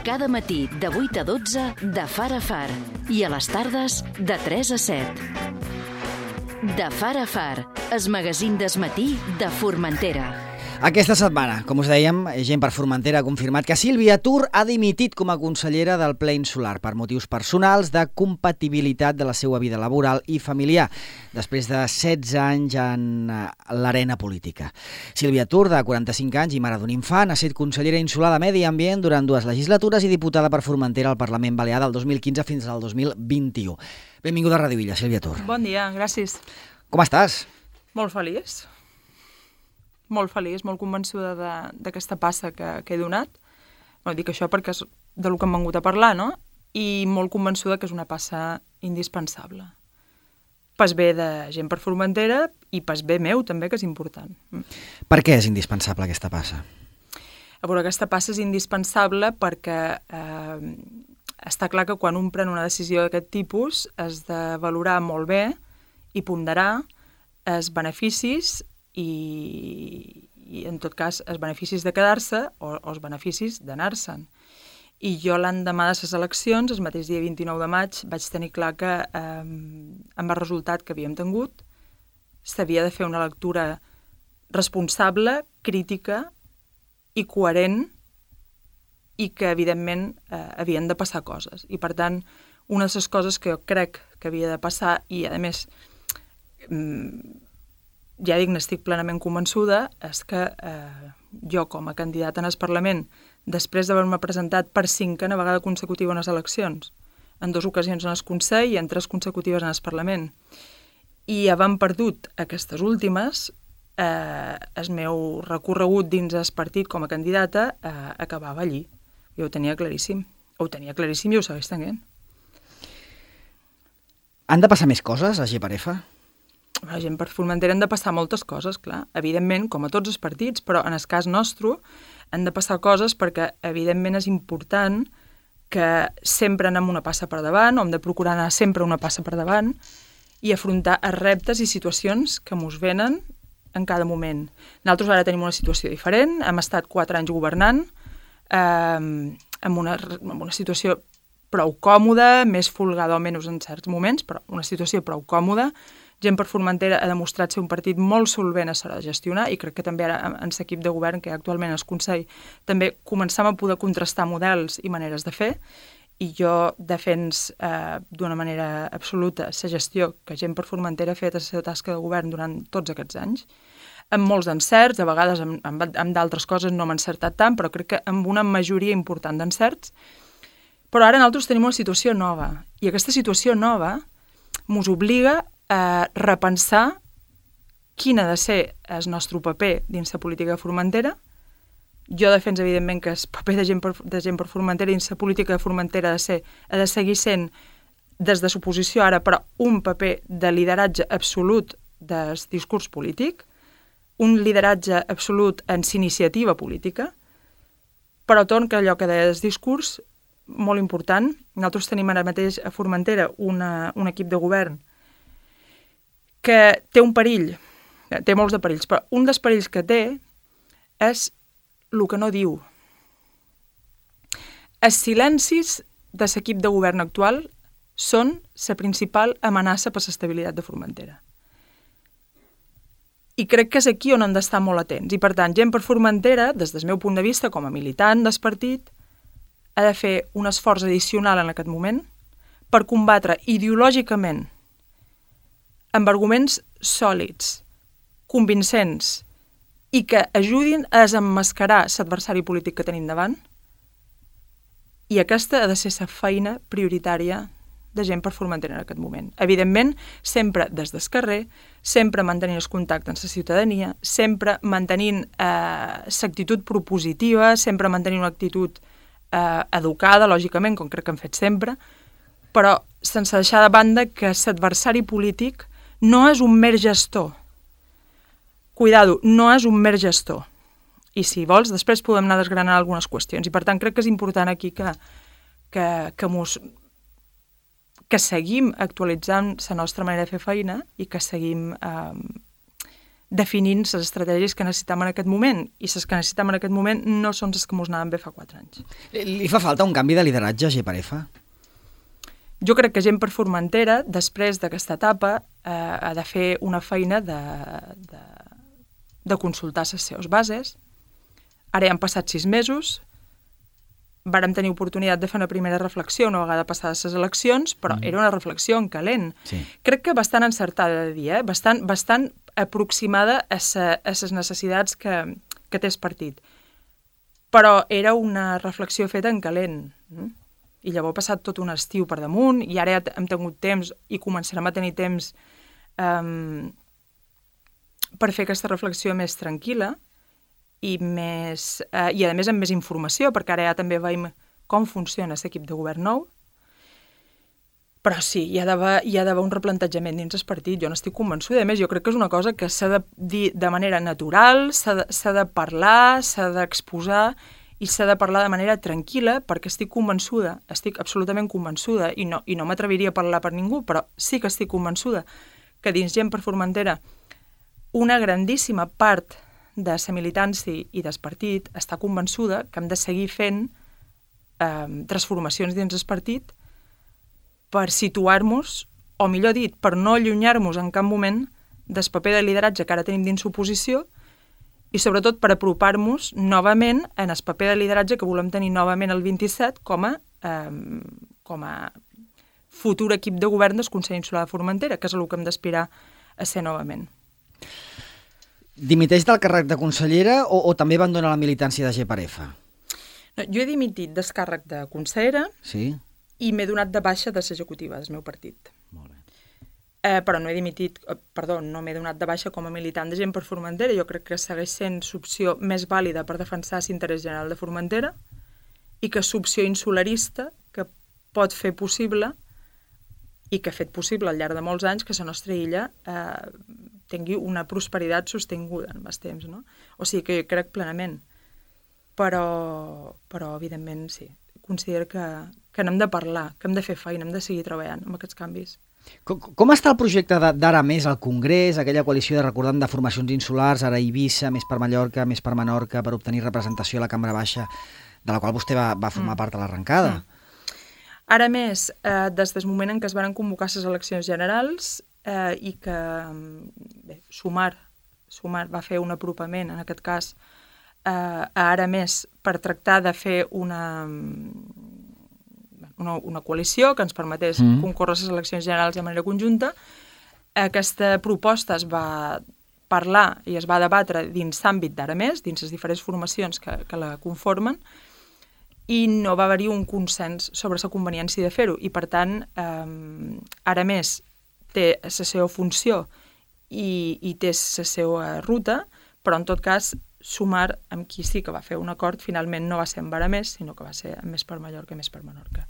Cada matí de 8 a 12 de Far a Far i a les tardes de 3 a 7. De Far a Far, el magazín del matí de Formentera. Aquesta setmana, com us dèiem, Gent per Formentera ha confirmat que Sílvia Tur ha dimitit com a consellera del Ple Insular per motius personals de compatibilitat de la seva vida laboral i familiar, després de 16 anys en l'arena política. Sílvia Tur, de 45 anys i mare d'un infant, ha estat consellera insular de Medi Ambient durant 2 legislatures i diputada per Formentera al Parlament Balear del 2015 fins al 2021. Benvinguda a Ràdio Illa, Sílvia Tur. Bon dia, gràcies. Com estàs? Molt feliç. Molt feliç, molt convençuda d'aquesta passa que he donat. Dic això perquè és del que hem vingut a parlar, no? I molt convençuda que és una passa indispensable. Pas bé de Gent per Formentera i pas bé meu també, que és important. Per què és indispensable aquesta passa? A veure, aquesta passa és indispensable perquè està clar que quan un pren una decisió d'aquest tipus has de valorar molt bé i ponderar els beneficis i en tot cas els beneficis de quedar-se o els beneficis d'anar-se'n. I jo l'endemà de les eleccions, el mateix dia 29 de maig, vaig tenir clar que amb el resultat que havíem tingut s'havia de fer una lectura responsable, crítica i coherent i que evidentment havien de passar coses. I per tant, una de les coses que jo crec que havia de passar i a més ja dic, n'estic plenament convençuda, és que jo, com a candidata en el Parlament, després d'haver-me presentat per 5a vegada consecutiva en les eleccions, en 2 ocasions en el Consell i en 3 consecutives en el Parlament, i havent perdut aquestes últimes, el meu recorregut dins el partit com a candidata acabava allí. Jo ho tenia claríssim. Ho tenia claríssim i ho segueix tenint. Han de passar més coses a GPF? La Gent per Formentera han de passar moltes coses, clar. Evidentment, com a tots els partits, però en el cas nostre han de passar coses perquè, evidentment, és important que sempre anem una passa per davant, o hem de procurar anar sempre una passa per davant i afrontar els reptes i situacions que mos venen en cada moment. Nosaltres ara tenim una situació diferent, hem estat 4 anys governant, amb una situació prou còmoda, més folgada o menys en certs moments, però una situació prou còmoda. Gent per Formentera ha demostrat ser un partit molt solvent a l'hora de gestionar i crec que també ara en l'equip de govern que hi ha actualment al Consell també començam a poder contrastar models i maneres de fer i jo defens d'una manera absoluta la gestió que Gent per Formentera ha fet a la seva tasca de govern durant tots aquests anys, amb molts encerts, a vegades amb d'altres coses no hem encertat tant, però crec que amb una majoria important d'encerts. Però ara nosaltres tenim una situació nova i aquesta situació nova mos obliga a repensar quin ha de ser el nostre paper dins la política de Formentera. Jo defenso, evidentment, que el paper de gent per Formentera dins la política de Formentera ha de seguir sent, des de l'oposició ara, però un paper de lideratge absolut del discurs polític, un lideratge absolut en l'iniciativa política, però torn que allò que deia el discurs, molt important. Nosaltres tenim ara mateix a Formentera un equip de govern que té un perill, té molts de perills, però un dels perills que té és el que no diu. Els silencis de l'equip de govern actual són la principal amenaça per l'estabilitat de Formentera. I crec que és aquí on hem d'estar molt atents. I per tant, Gent per Formentera, des del meu punt de vista com a militant del partit, ha de fer un esforç addicional en aquest moment per combatre ideològicament amb arguments sòlids, convincents i que ajudin a desemmascarar l'adversari polític que tenim davant. I aquesta ha de ser la feina prioritària de Gent per Formentera en aquest moment. Evidentment, sempre des del carrer, sempre mantenint el contacte amb la ciutadania, sempre mantenint l'actitud propositiva, sempre mantenint una actitud educada, lògicament, com crec que hem fet sempre, però sense deixar de banda que l'adversari polític no és un mer gestor. Cuidado, no és un mer gestor. I si vols, després podem anar desgranant algunes qüestions. I per tant, crec que és important aquí que seguim actualitzant la nostra manera de fer feina i que seguim definint les estratègies que necessitem en aquest moment, i les que necessitem en aquest moment no són les que ens anaven bé fa 4 anys. Li fa falta un canvi de lideratge a Geparefa? Jo crec que gent per Formentera, després d'aquesta etapa, ha de fer una feina de consultar les seves bases. Ara ja han passat 6 mesos, vàrem tenir oportunitat de fer una primera reflexió una vegada passades les eleccions, però era una reflexió en calent. Sí. Crec que bastant encertada de dir, bastant aproximada a les necessitats que té el partit. Però era una reflexió feta en calent. I llavors ha passat tot un estiu per damunt, i ara ja hem tingut temps i començarem a tenir temps per fer aquesta reflexió més tranquil·la, i a més amb més informació, perquè ara ja també veiem com funciona l'equip de govern nou. Però sí, hi ha d'haver un replantejament dins el partit. Jo n'estic convençuda. A més, jo crec que és una cosa que s'ha de dir de manera natural, s'ha de parlar, s'ha d'exposar, i s'ha de parlar de manera tranquil·la, perquè estic convençuda, estic absolutament convençuda, i no m'atreviria a parlar per ningú, però sí que estic convençuda que dins Gent per Formentera una grandíssima part de la militància i del partit està convençuda que hem de seguir fent transformacions dins el partit per situar-nos, o millor dit, per no allunyar-nos en cap moment del paper de lideratge que ara tenim dins l'oposició, i sobretot per apropar-nos novament en el paper de lideratge que volem tenir novament el 27 com a futur equip de govern del Consell Insular de Formentera, que és el que hem d'aspirar a ser novament. Dimiteix del càrrec de consellera o també abandona la militància de Geparefa? No, jo he dimitit del càrrec de consellera, sí, i m'he donat de baixa de l'executiva del meu partit. Molt bé. Però no m'he donat de baixa com a militant de Gent per Formentera. Jo crec que segueix sent l'opció més vàlida per defensar l'interès general de Formentera, i que és l'opció insularista que pot fer possible, i que ha fet possible al llarg de molts anys, que la nostra illa tingui una prosperitat sostinguda en els temps, no? O sigui que jo crec plenament. Però evidentment, sí, considero que n'hem de parlar, que hem de fer feina, hem de seguir treballant amb aquests canvis. Com està el projecte d'Ara Més al Congrés, aquella coalició de formacions insulars, ara Eivissa, Més per Mallorca, Més per Menorca, per obtenir representació a la Cambra Baixa, de la qual vostè va formar part a l'arrencada? Ara Més, des del moment en què es van convocar les eleccions generals i que Sumar va fer un apropament, en aquest cas, a Ara Més per tractar de fer una coalició que ens permetés concórrer les eleccions generals de manera conjunta. Aquesta proposta es va parlar i es va debatre dins l'àmbit d'Ara Més, dins les diferents formacions que la conformen, i no va haver-hi un consens sobre la conveniència de fer-ho. I, per tant, Ara Més té la seva funció i té la seva ruta, però, en tot cas, Sumar, amb qui sí que va fer un acord, finalment no va ser amb Ara Més, sinó que va ser amb Més per Mallorca i Més per Menorca.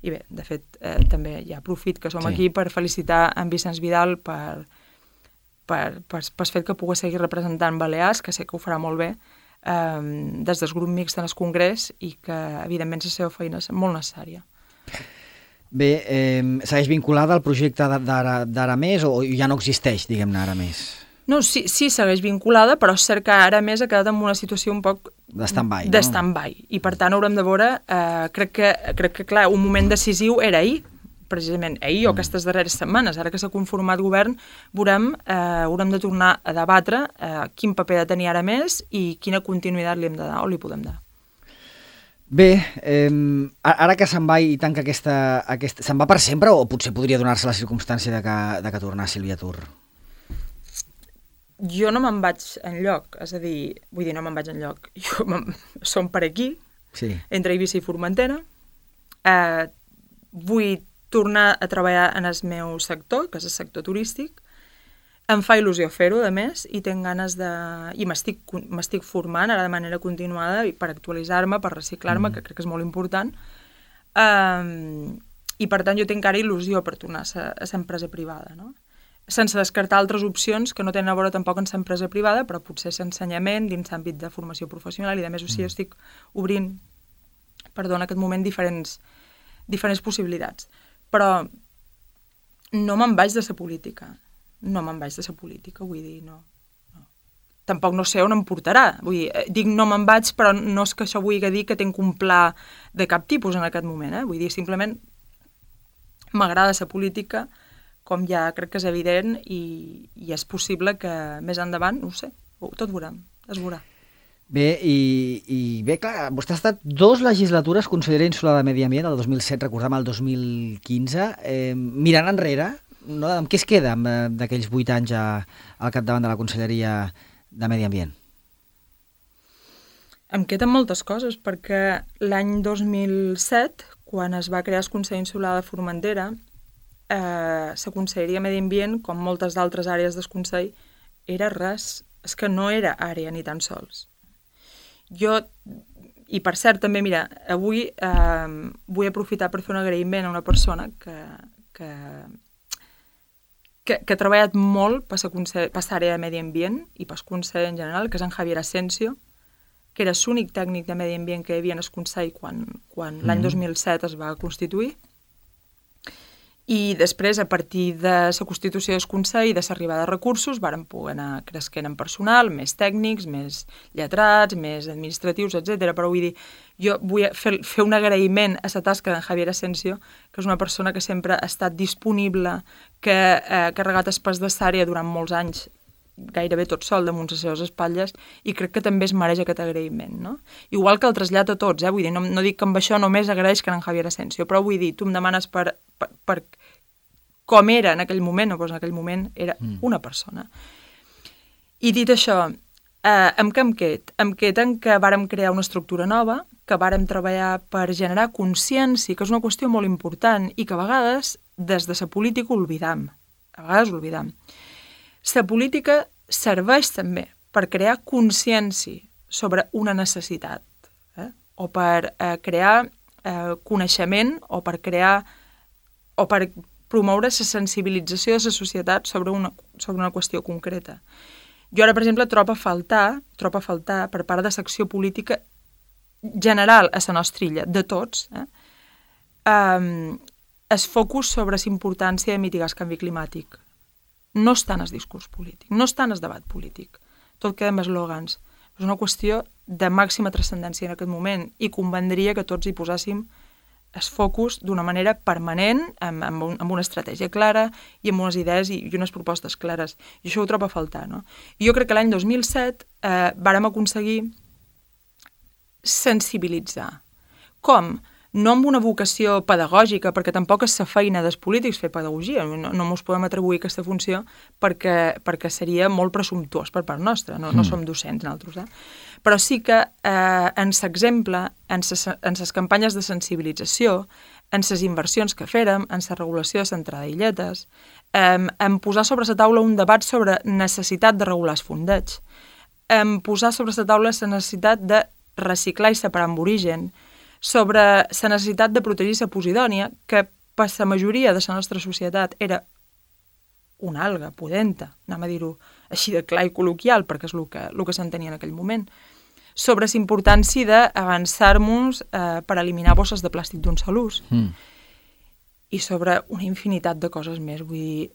I bé, de fet, també hi ha profit que som aquí per felicitar en Vicenç Vidal per fet que pugui seguir representant Balears, que sé que ho farà molt bé, des del grup mixt en el Congrés, i que, evidentment, la seva feina és molt necessària. Bé, segueix vinculada al projecte d'Ara Més o ja no existeix, diguem-ne, Ara Més? No, sí, segueix vinculada, però és cert que Ara Més ha quedat en una situació un poc de stand-by, no? De stand-by. I, per tant, haurem de veure, crec que, clar, un moment decisiu era ahir, precisament ahir o aquestes darreres setmanes. Ara que s'ha conformat govern, haurem de tornar a debatre quin paper ha de tenir Ara Més i quina continuïtat li hem de dar o li podem dar. Bé, ara que se'n va i tanca se'n va per sempre o potser podria donar-se la circumstància de que tornar Sílvia Tur? Jo no me'n vaig enlloc, és a dir, vull dir, no me'n vaig enlloc. Som per aquí, entre Eivissa i Formentera. Vull tornar a treballar en el meu sector, que és el sector turístic. Em fa il·lusió fer-ho, a més, i tinc ganes de... I m'estic formant ara de manera continuada per actualitzar-me, per reciclar-me, que crec que és molt important. I, per tant, jo tinc ara il·lusió per tornar a l'empresa privada, no? Sense descartar altres opcions que no tenen a veure tampoc en l'empresa privada, però potser l'ensenyament dins l'àmbit de formació professional, i, a més, o sigui, estic obrint, en aquest moment, diferents possibilitats. Però no me'n vaig de la política. No me'n vaig de la política, vull dir, no. tampoc no sé on em portarà. Vull dir, dic no me'n vaig, però no és que això vulgui dir que tinc un pla de cap tipus en aquest moment. Vull dir, simplement m'agrada ser política, com ja crec que és evident, i és possible que més endavant, no ho sé, tot veurem, es veurà. Bé, i bé, clar, vostè ha estat 2 legislatures consellera insular de Medi Ambient, el 2007, recordem el 2015. Mirant enrere, no, amb què es queda d'aquells 8 anys al capdavant de la Conselleria de Medi Ambient? Em queden moltes coses, perquè l'any 2007, quan es va crear el Consell Insular de Formentera, la Conselleria de Medi Ambient, com moltes d'altres àrees del Consell, era res. És que no era àrea ni tan sols. Jo, i per cert també, mira, avui vull aprofitar per fer un agraïment a una persona que ha treballat molt per l'àrea de Medi Ambient i pel Consell en general, que és en Javier Asensio, que era l'únic tècnic de Medi Ambient que hi havia en el Consell quan l'any 2007 es va constituir. I després, a partir de la constitució del Consell i de l'arribada de recursos, vàrem poder anar cresquent en personal, més tècnics, més lletrats, més administratius, etc. Però vull dir, jo vull fer un agraïment a la tasca d'en Javier Asensio, que és una persona que sempre ha estat disponible, que ha carregat el pes de l'àrea durant molts anys, gairebé tot sol damunt les seves espatlles, i crec que també es mereix aquest agraïment, no? Igual que el trasllat a tots, vull dir, no dic que amb això només agraeix que en Javier Asensio, però vull dir, tu em demanes per com era en aquell moment, doncs en aquell moment era una persona. I dit això, amb què em qued? Em qued en que vàrem crear una estructura nova, que vàrem treballar per generar consciència, que és una qüestió molt important, i que a vegades, des de la política, oblidam. A vegades oblidam. La política serveix també per crear consciència sobre una necessitat, o per crear coneixement, o per promoure la sensibilització de la societat sobre una qüestió concreta. Jo ara, per exemple, trobo a faltar per part de l'acció política general a la nostra illa, de tots, el focus sobre la importància de mitigar el canvi climàtic. No està en el discurs polític, no està en el debat polític. Tot queda amb eslògans. És una qüestió de màxima transcendència en aquest moment i convendria que tots hi posàssim el focus d'una manera permanent, amb una estratègia clara i amb unes idees i unes propostes clares. I això ho trobo a faltar, no? I jo crec que l'any 2007 vàrem aconseguir sensibilitzar. Com? No amb una vocació pedagògica, perquè tampoc és la feina dels polítics fer pedagogia, no mos podem atribuir aquesta funció perquè seria molt presumptuós per part nostra, no som docents nosaltres. Però sí que en l'exemple, en les campanyes de sensibilització, en les inversions que fèrem, en la regulació de centrada d'illetes, en posar sobre la taula un debat sobre necessitat de regular els fondeigs, en posar sobre la taula la necessitat de reciclar i separar amb origen, sobre la necessitat de protegir la posidònia, que per la majoria de la nostra societat era una alga pudenta, anem a dir-ho així de clar i col·loquial, perquè és el que s'entenia en aquell moment, sobre la importància d'avançar-nos per eliminar bosses de plàstic d'un sol ús, i sobre una infinitat de coses més. Vull dir,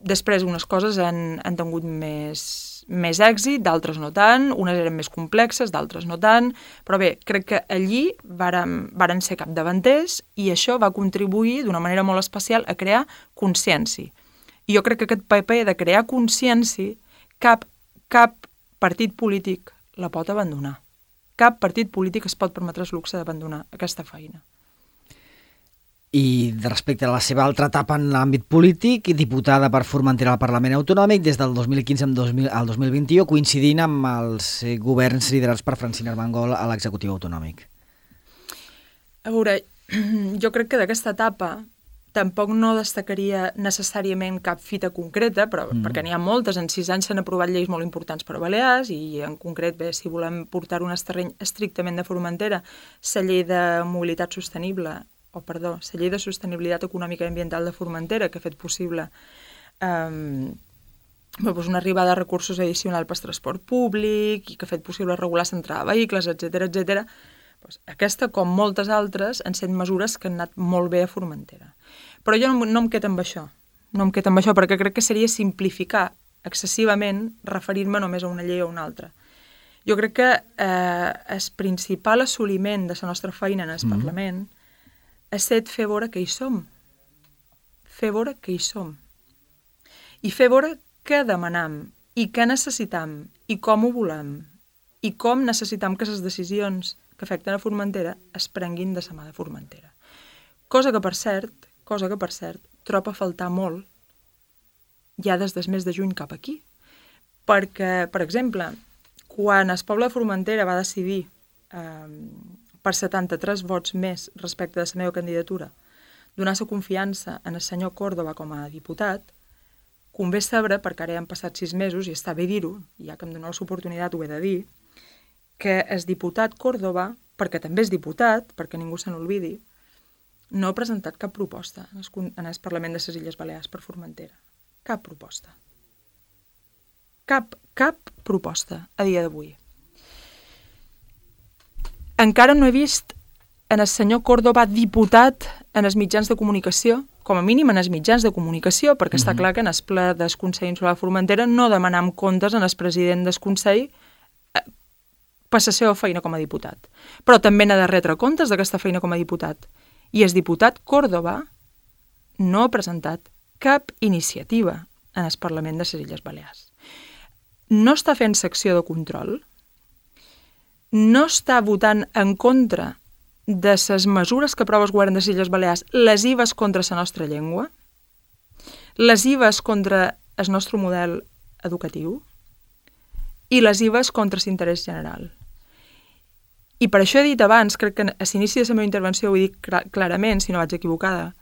després unes coses han tingut més èxit, d'altres no tant, unes eren més complexes, d'altres no tant, però bé, crec que allí varen ser capdavanters i això va contribuir d'una manera molt especial a crear consciència. I jo crec que aquest paper de crear consciència cap partit polític la pot abandonar. Cap partit polític es pot permetre el luxe d'abandonar aquesta feina. I respecte a la seva altra etapa en l'àmbit polític, diputada per Formentera al Parlament Autonòmic des del 2015 al 2021, coincidint amb els governs liderats per Francina Armengol a l'executiu autonòmic. A veure, jo crec que d'aquesta etapa tampoc no destacaria necessàriament cap fita concreta, però perquè n'hi ha moltes. En 6 anys s'han aprovat lleis molt importants per a Balears i en concret, bé, si volem portar un terreny estrictament de Formentera, la llei de mobilitat sostenible, la llei de sostenibilitat econòmica i ambiental de Formentera, que ha fet possible una arribada de recursos addicional per al transport públic i que ha fet possible regular l'entrada de vehicles, etc. Aquesta, com moltes altres, han estat mesures que han anat molt bé a Formentera. Però jo no em quedo amb això. No em quedo amb això perquè crec que seria simplificar excessivament referir-me només a una llei o a una altra. Jo crec que el principal assoliment de la nostra feina en el Parlament és fer veure que hi som. Fer veure que hi som. I fer veure què demanam, i què necessitam, i com ho volem, i com necessitam que les decisions que afecten a Formentera es prenguin de la mà de Formentera. Cosa que, per cert, trobo a faltar molt ja des del mes de juny cap aquí. Perquè, per exemple, quan el poble de Formentera va decidir per 73 vots més respecte de la meva candidatura donar la confiança en el senyor Córdoba com a diputat, convé saber, perquè ara ja han passat 6 mesos i està bé dir-ho, ja que em doneu l'oportunitat ho he de dir, que el diputat Córdoba, perquè també és diputat, perquè ningú se n'olvidi, no ha presentat cap proposta en el Parlament de les Illes Balears per Formentera. Cap proposta. Cap proposta a dia d'avui. Encara no he vist en el senyor Córdoba diputat en els mitjans de comunicació, com a mínim en els mitjans de comunicació, perquè està clar que en el ple del Consell Insular de Formentera no demanam comptes en el president del Consell per la seva feina com a diputat. Però també n'ha de retre comptes d'aquesta feina com a diputat. I el diputat Córdoba no ha presentat cap iniciativa en el Parlament de les Illes Balears. No està fent secció de control, no està votant en contra de les mesures que aprova el govern de les Illes Balears lesives contra la nostra llengua, lesives contra el nostre model educatiu i lesives contra l'interès general. I per això he dit abans, crec que a l'inici de la meva intervenció ho he dit clarament, si no vaig equivocada,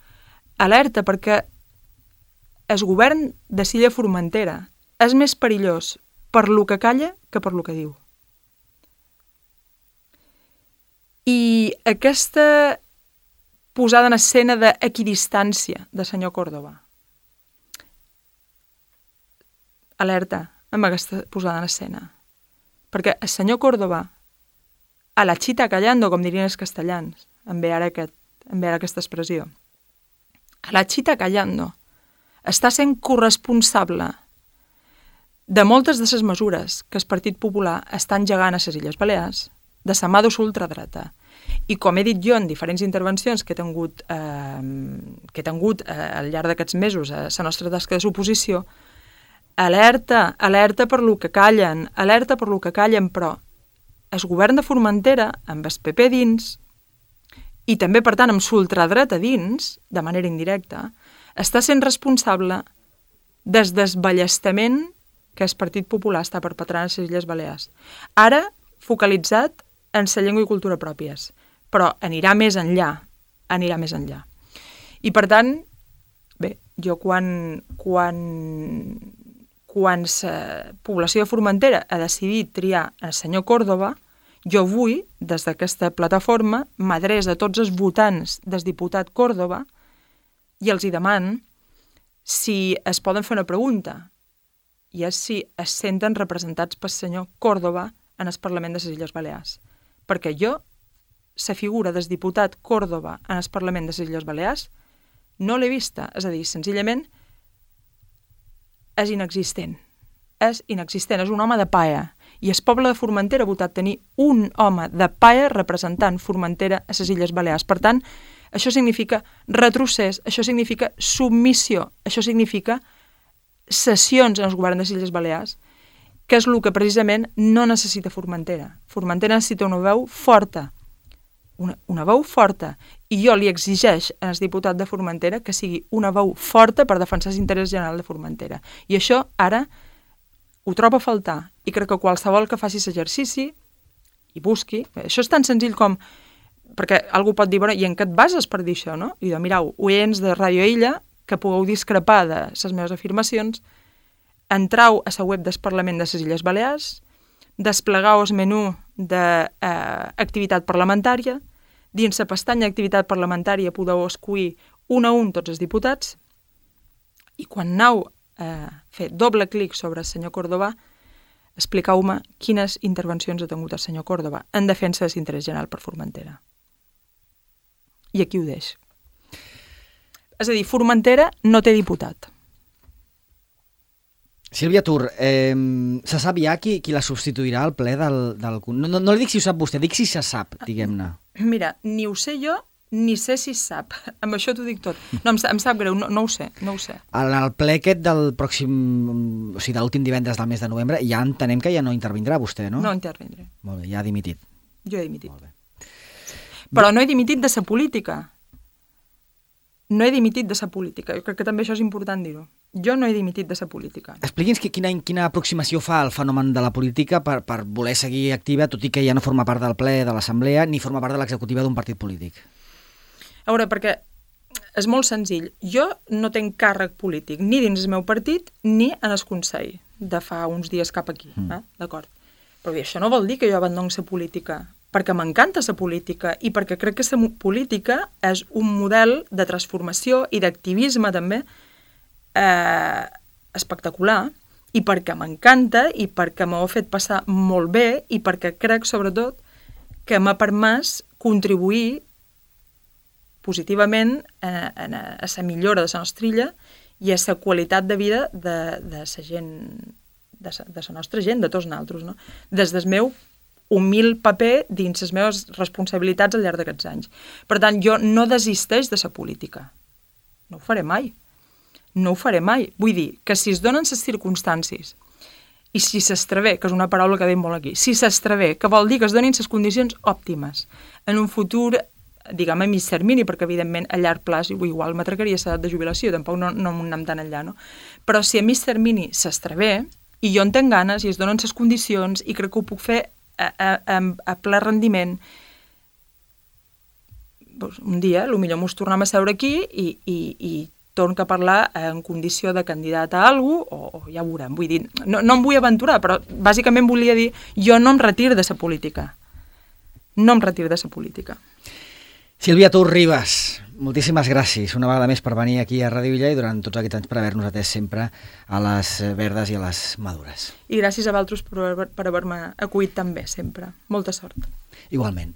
alerta perquè el govern de l'illa Formentera és més perillós per lo que calla que per lo que diu. I aquesta posada en escena d'equidistància de senyor Córdoba, alerta amb aquesta posada en escena, perquè el senyor Córdoba, a la chita callando, com dirien els castellans, em ve ara aquesta expressió, a la chita callando, està sent corresponsable de moltes de les mesures que el Partit Popular està engegant a les Illes Balears, de la mà de l'ultradreta. I com he dit jo en diferents intervencions que he tingut al llarg d'aquests mesos a la nostra tasca de suposició, alerta per lo que callen, però el govern de Formentera, amb el PP dins, i també, per tant, amb l'ultradreta dins, de manera indirecta, està sent responsable del desballestament que el Partit Popular està perpetrant a les Illes Balears. Ara, focalitzat en la llengua i cultura pròpies, però anirà més enllà. I, per tant, bé, jo quan la població de Formentera ha decidit triar el senyor Córdoba, jo avui, des d'aquesta plataforma, m'adreço a tots els votants del diputat Córdoba i els hi deman si es poden fer una pregunta, i és si es senten representats pel senyor Córdoba en el Parlament de les Illes Balears. Perquè jo, la figura del diputat Córdoba en el Parlament de les Illes Balears, no l'he vista. És a dir, senzillament, és inexistent. És un home de paia. I el poble de Formentera ha votat tenir un home de paia representant Formentera a les Illes Balears. Per tant, això significa retrocés, això significa submissió, això significa cessions en el govern de les Illes Balears, que és el que precisament no necessita Formentera. Formentera necessita una veu forta, una veu forta, i jo li exigeix al diputat de Formentera que sigui una veu forta per defensar l'interès general de Formentera. I això ara ho trobo a faltar, i crec que qualsevol que faci l'exercici i busqui, això és tan senzill com, perquè algú pot dir, bueno, i en què et bases per dir això, no? I diu, mireu, oients de Ràdio Illa, que pugueu discrepar de les meves afirmacions, entrau a la web del Parlament de les Illes Balears, desplegueu el menú d'activitat parlamentària, dins la pestanya d'activitat parlamentària podeu escollir un a un tots els diputats, i quan aneu a fer doble clic sobre el senyor Córdoba, expliqueu-me quines intervencions ha tingut el senyor Córdoba en defensa de l'interès general per Formentera. I aquí ho deix. És a dir, Formentera no té diputat. Sílvia Tur, se sap ja qui la substituirà al ple del... No li dic si ho sap vostè, dic si se sap, diguem-ne. Mira, ni ho sé jo, ni sé si es sap. Amb això t'ho dic tot. No, em sap greu, no ho sé. En el ple aquest del pròxim... O sigui, de l'últim divendres del mes de novembre, ja entenem que ja no intervindrà vostè, no? No intervindré. Molt bé, ja ha dimitit. Jo he dimitit. Molt bé. Però no he dimitit de ser política. No he dimitit de ser política. Jo crec que també això és important dir-ho. Jo no he dimitit de ser política. Expliqui'ns quina aproximació fa al fenomen de la política per voler seguir activa, tot i que ja no forma part del ple de l'Assemblea ni forma part de l'executiva d'un partit polític. A veure, perquè és molt senzill. Jo no tenc càrrec polític ni dins el meu partit ni en el Consell de fa uns dies cap aquí. D'acord? Però bé, això no vol dir que jo abandono ser política, perquè m'encanta ser política i perquè crec que ser política és un model de transformació i d'activisme també espectacular, i perquè m'encanta i perquè m'ho ha fet passar molt bé i perquè crec, sobretot, que m'ha permès contribuir positivament a la millora de la nostra illa i a la qualitat de vida de la gent, de la nostra gent, de tots nosaltres, no? Des del meu humil paper dins les meves responsabilitats al llarg d'aquests anys. Per tant, jo no desisteix de la política. No ho faré mai. No ho faré mai. Vull dir que si es donen les circumstàncies i si s'estrevé, que és una paraula que veiem molt aquí, si s'estrevé, que vol dir que es donin les condicions òptimes en un futur, diguem, a mig termini, perquè evidentment a llarg plaç igual m'atracaria l'edat de jubilació, tampoc no anem tan enllà, no? Però si a mig termini s'estrevé i jo en tenc ganes i es donen les condicions i crec que ho puc fer a ple rendiment, doncs un dia potser mos tornem a seure aquí i torno a parlar en condició de candidat a alguna cosa, o ja ho veurem. Vull dir, no em vull aventurar, però bàsicament volia dir, jo no em retiro de la política. No em retiro de la política. Sílvia Tur Ribas, moltíssimes gràcies una vegada més per venir aquí a Ràdio Illa i durant tots aquests anys per haver-nos atès sempre a les verdes i a les madures. I gràcies a vosaltres per haver-me acollit tan bé sempre. Molta sort. Igualment.